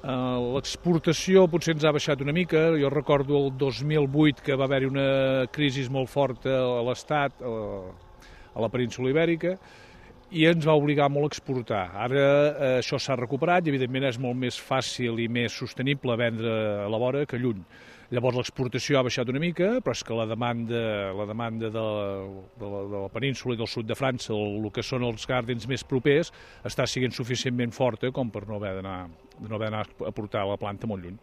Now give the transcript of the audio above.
L'exportació potser ens ha baixat una mica. Jo recordo el 2008 que va haver-hi una crisi molt forta a l'Estat, a la península Ibèrica, i ens va obligar molt a exportar. Ara això s'ha recuperat i evidentment és molt més fàcil i més sostenible vendre a la vora que lluny. Llavors l'exportació ha baixat una mica, però és que la demanda de la península i del sud de França, el que són els gardens més propers, està sent suficientment forta com per no haver d'anar a portar la planta molt lluny.